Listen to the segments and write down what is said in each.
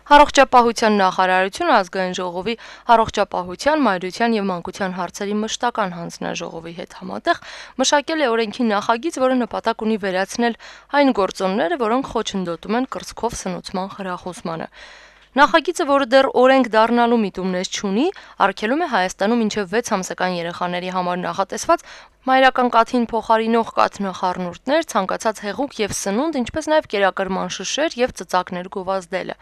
Առողջապահության նախարարությունը ազգային ժողովի առողջապահության, մայրության եւ մանկության հարցերի մշտական հանձնաժողովի հետ համատեղ մշակել է օրենքի նախագիծ, որը նպատակ ունի վերացնել այն գործոնները, որոնք խոչընդոտում են կրծքով սնուցման խրախուսմանը։ Նախագիծը, որը դեռ օրենք դառնալու միտումներ չունի, արգելում է Հայաստանում մինչև 6 ամսական երեխաների համար նախատեսված մայրական կաթին փոխարինող կաթնախառնուրդներ, ցանկացած հեղուկ եւ սնունդ, ինչպես նաեւ կերակրման շշեր եւ ծծակներ գովազդելը։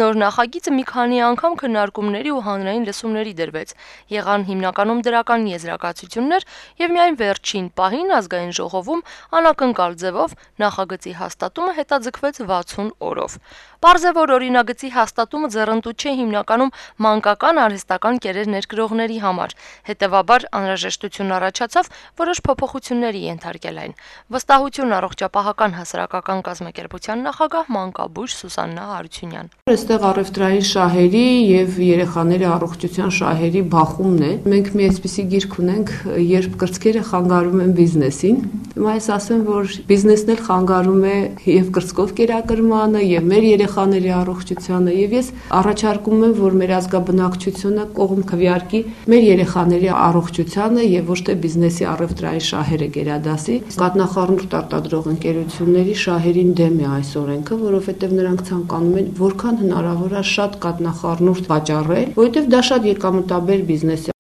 Նոր նախագիծը մի քանի անգամ քննարկումների ու հանրային լսումների դրվեց։ Եղան հիմնականում դրական եզրակացություններ եւ միայն վերջին պահին ազգային ժողովում անակնկալ ձևով նախագծի հաստատումը հետաձգվեց 60 օրով։ Պարզ է, որ օրինագծի հաստատումը ձեռնտու չէ հիմնականում մանկական արհեստական կերեր ներկրողների համար։ Հետևաբար անհրաժեշտություն առաջացավ որոշ փոփոխությունների ենթարկել այն։ Վստահություն առողջապահական հասարակական կազմակերպության նախագահ մանկաբույժ Սուսաննա Հարությունյան։ Այստեղ առևտրային շահերի եւ երեխաների առողջության շահերի բախումն է։ Մենք մի այսպիսի գիրք ունենք, երբ կրծքերը խանգարում են բիզնեսին։ Հիմա ես ասեմ, որ բիզնեսն էլ խանգարում է եւ կրծքով կերակրմանը, եւ մեր երեխաների առողջությանը, եւ ես առաջարկում եմ, որ մեր ազգաբնակչությունը կողմ քվեարկի մեր երեխաների առողջությանը եւ ոչ թե բիզնեսի առևտրային շահերը գերադասի։ Կաթնախառնուրդ արտադրող ընկերությունների շահերին դեմ է այս օրենքը, որովհետեւ նրանք ցանկանում են որքան հնարավոր է շատ կաթնախառնուրդ վաճառել, որովհետեւ դա շատ եկամտաբեր բիզնես է։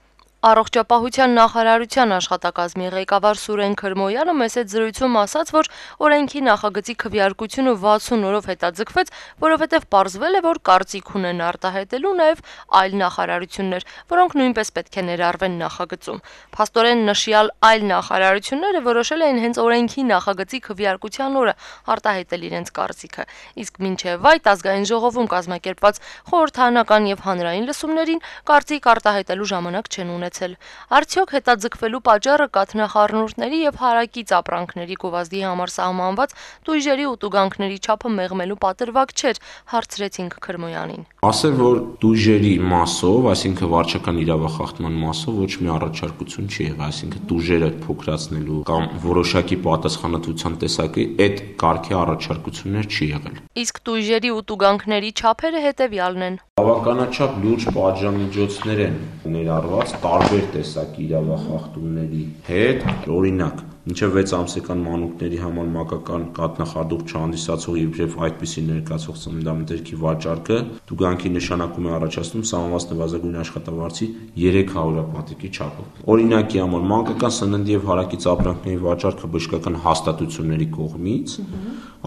Առողջապահության նախարարության աշխատակազմի ղեկավար Սուրեն Քրմոյանը մեծ զրույցում ասաց, որ օրենքի նախագծի քվեարկությունը 60 օրով հետաձգվեց, որովհետև պարզվել է, որ կարծիք ունեն արտահայտելու նաև այլ նախարարություններ, որոնք նույնպես պետք է ներառվեն նախագծում։ Փաստորեն նշյալ այլ նախարարությունները որոշել էին հենց օրենքի նախագծի քվեարկության օրը արտահայտել իրենց կարծիքը, իսկ մինչև այդ ազգային ժողովում կազմակերպված խորհրդարանական եւ հանրային լսումներին կարծիք արտահայտելու ժամանակ չեն ունեցել։ Արդյոք հետաձգվելու պատճառը կաթնախառնուրդների եւ հարակից ապրանքների գովազդի համար սահմանված տույժերի ու տուգանքների չափը մեղմելու պատրվակ չէր, հարցրեցինք Քրմոյանին։ Ասել, որ տույժերի մասով, այսինքն վարչական իրավախախտման մասով ոչ մի առաջարկություն չի եղել, այսինքն տույժերը փոքրացնելու կամ որոշակի պատասխանատվության տեսակի այդ կարգի առաջարկություններ չի եղել։ Իսկ տույժերի ու տուգանքների չափերը հետեւյալն են։ Բավականաչափ լուրջ պատժամիջոցներ են ներառված տարբեր տեսակի իրավախախտումների հետ, օրինակ մինչև 6 ամսական մանուկների համար մանկական կաթնախառնուրդ չհանդիսացող եւ այդպիսի ներկայացող ծննդամթերքի վաճառքը տուգանքի նշանակում է առաջացնում սահմանված նվազագույն աշխատավարձի 300 պատիկի չափով։ Օրինակի համար մանկական սննդի եւ հարակից ապրանքների վաճառքը բժշկական հաստատությունների կողմից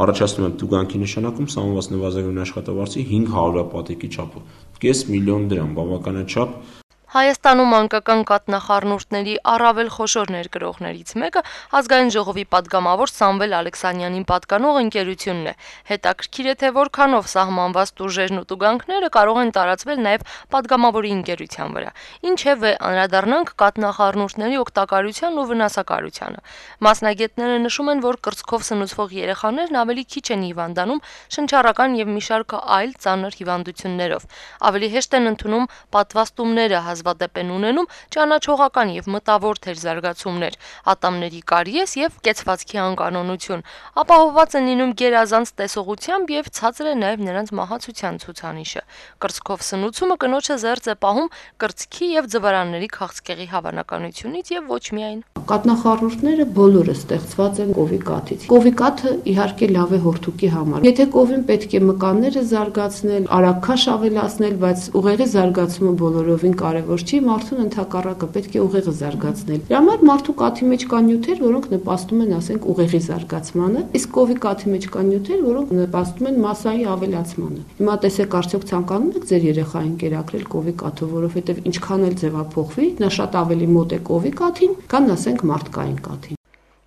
առաջացնում է տուգանքի նշանակում սահմանված նվազագույն աշխատավարձի 500 պատիկի չափով։ 5 միլիոն դրամ, բավականաչափ։ Հայաստանում մանկական կաթնախառնուրդների առավել խոշոր ներկրողներից մեկը ազգային ժողովի պատգամավոր Սամվել Ալեքսանյանին պատկանող ընկերությունն է։ Հետաքրքիր է, թե որքանով սահմանված տուժերն ու տուգանքները կարող են տարածվել նաև պատգամավորի ընկերության վրա։ Ինչևէ, անդրադառնանք կաթնախառնուրդների օգտակարության ու վնասակարությանը։ Մասնագետները նշում են, որ կրծքով սնուցվող երեխաներն ավելի քիչ են հիվանդանում շնչառական եւ մի շարք այլ ծանր հիվանդություններով։ Ավելի հեշտ են ընդունում պատվաստումները, հազվադեպ են ունենում ճանաչողական եւ մտավոր թերզարգացումներ, ատամների կարիես եւ կեցվածքի անկանոնություն, ապահովված են լինում գերազանց տեսողությամբ եւ ցածր է նաեւ նրանց մահացության ցուցանիշը։ Կրծքով սնուցումը կնոջը զերծ է պահում կրծքի եւ ձվարանների քաղցկեղի հավանականությունից եւ ոչ միայն։ Կաթնախառնուրդները բոլորը ստեղծված են կովի կաթից։ Կովի կաթը իհարկե լավ է հորթուկի համար։ Եթե կովին պետք է մկանները զարգացնել, արագքաշ ավելացնել, բայց ուղեղի զարգացումը բոլորովին կարևոր չի, մարդուն ընդհակառակը պետք է ուղեղը զարգացնել։ Դրա համար մարդու կաթի մեջ կան նյութեր, որոնք նպաստում են, ասենք, ուղեղի զարգացմանը, իսկ կովի կաթի մեջ կան նյութեր, որոնք նպաստում են մասսայի ավելացմանը։ Հիմա տեսեք, արդյոք ցանկանում եք ձեր երեխային կերակրել կովի կաթով, որովհետև ինչքան էլ ձևափոխվի, նա շատ ավելի մոտ է կովի կաթին, քան ասենք մարդկային կաթին։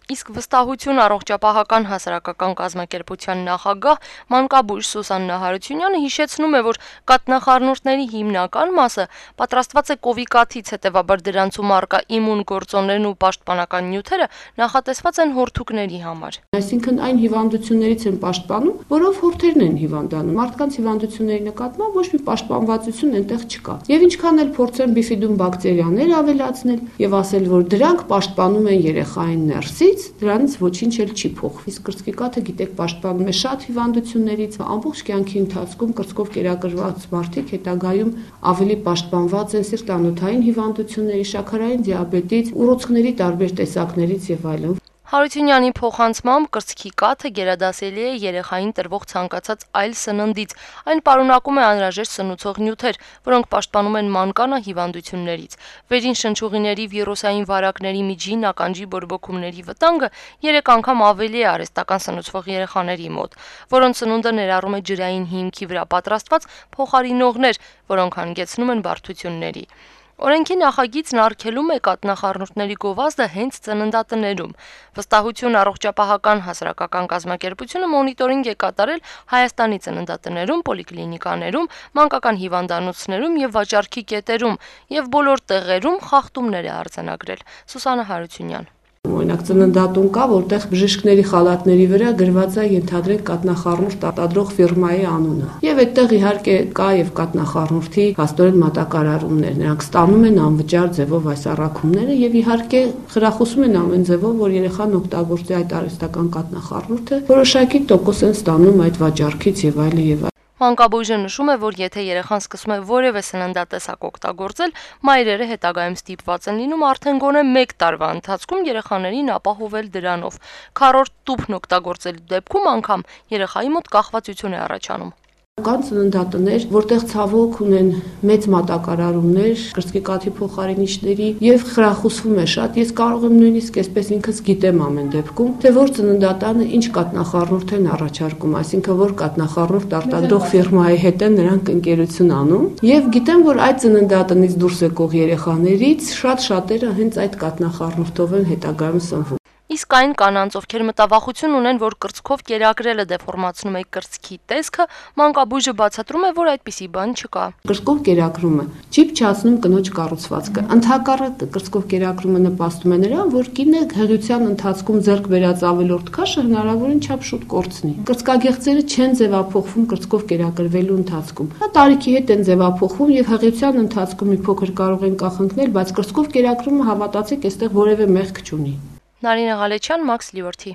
Իսկ վստահություն առողջապահական հասարակական կազմակերպության նախագահ մանկաբույժ Սուսաննա Հարությունյանը հիշեցնում է, որ կաթնախառնուրդների հիմնական մասը պատրաստված է կովի կաթից, հետևաբար դրանցում առկա իմուն գործոններն ու պաշտպանական նյութերը նախատեսված են հորթուկների համար։ Այսինքն այն հիվանդություններից են պաշտպանում, որով հորթերն են հիվանդանում։ Մարդկանց հիվանդությունների նկատմամբ ոչ մի պաշտպանվածություն այնտեղ չկա։ Եվ ինչքան էլ փորձեն բիֆիդում բակտերիաներ ավելացնել եւ ասել, որ դրանք պաշտպանում են երեխային ներսից, կաթից դրանից ոչինչ էլ չի փոխվի։ Իսկ կրծքի կաթը գիտեք պաշտպանում է շատ հիվանդություններից, ամբողջ կյանքի ընթացքում կրծքով կերակրված մարդիկ հետագայում ավելի պաշտպանված են սիրտանոթային հիվանդությունների, շաքարային դիաբետից, ուռուցքների տարբեր տեսակներից եւ այլն։ Հարությունյանի փոխանցմամբ կրծքի կաթը գերադասելի է երեխային տրվող ցանկացած այլ սննդից։ Այն պարունակում է անհրաժեշտ սնուցող նյութեր, որոնք պաշտպանում են մանկանա հիվանդություններից։ Վերին շնչուղիների, վիրուսային վարակների, միջին ականջի բորբոքումների վտանգը 3 անգամ ավելի է արհեստական սնուցվող երեխաների մոտ, որոնց սնունդը ներառում է ջրային հիմքի վրա պատրաստված փոխարինողներ, որոնք հանգեցնում են բարդությունների։ Օրենքի նախագիծն արգելում է կաթնախառնուրդների գովազդը հենց ծննդատներում։ Վստահություն առողջապահական հասարակական կազմակերպությունը մոնիտորինգ է կատարել Հայաստանի ծննդատներում, պոլիկլինիկաներում, մանկական հիվանդանոցներում եւ վաճառքի կետերում եւ բոլոր տեղերում խախտումներ է արձանագրել։ Սուսաննա Հարությունյան։ Օրինակ ծննդատուն կա, որտեղ բժիշկների խալաթների վրա գրված է ենթադրենք կաթնախառնուրդ արտադրող ֆիրմայի անունը։ Եվ այդտեղ իհարկե կա եւ կաթնախառնուրդի փաստորեն մատակարարումներ։ Նրանք ստանում են անվճար ձևով այս առաքումները եւ իհարկե խրախուսում են ամեն ձևով, որ երեխան օգտագործի այդ արհեստական կաթնախառնուրդը, որոշակի տոկոս են ստանում այդ վաճառքից եւ այլն։ Մանկաբույժը նշում է, որ եթե երեխան սկսում է որևէ սննդատեսակ օգտագործել, մայրերը հետագայում ստիպված են լինում արդեն գոնե 1 տարվա ընթացքում երեխաներին ապահովել դրանով։ Քառորդ տուփն օգտագործելու դեպքում անգամ երեխայի մոտ կախվածություն է առաջանում։ Կան ծննդատներ, որտեղ ցավոք ունեն մեծ մատակարարումներ կրծքի կաթի փոխարինիչների եւ խրախուսվում է շատ։ Ես կարող եմ նույնիսկ այսպես ինքս գիտեմ ամեն դեպքում, թե որ ծննդատանը ինչ կաթնախառնուրդ են առաջարկում, այսինքն որ կաթնախառնուրդ արտադրող ֆիրմայի հետ են նրանք ընկերություն անում եւ գիտեմ, որ այդ ծննդատնից դուրս եկող երեխաներից շատ-շատերը հենց այդ կաթնախառնուրդով են հետագայում սնվում։ Իսկ այն կանանց, ովքեր մտավախություն ունեն, որ կրծքով կերակրելը դեֆորմացնում է կրծքի տեսքը, մանկաբույժը բացատրում է, որ այդպիսի բան չկա։ Կրծքով կերակրումը չի փչացնում կնոջ կառուցվածքը։ Ընդհակառակը կրծքով կերակրումը նպաստում է նրան, որ կինը հղիության ընթացքում ձեռք բերած ավելորդ քաշը հնարավորին չափ շուտ կորցնի։ Կրծքագեղձերը չեն ձևափոխվում կրծքով կերակրվելու ընթացքում։ Դա տարիքի հետ են ձևափոխվում եւ հղիության ընթացքում մի փոքր կարող են կախնկնել, բայց կրծքով կերակրումը հավատացեք, այստեղ որևէ մեղք չունի։ Նարինե Ղալեչյան, Մաքս Լիվորթի։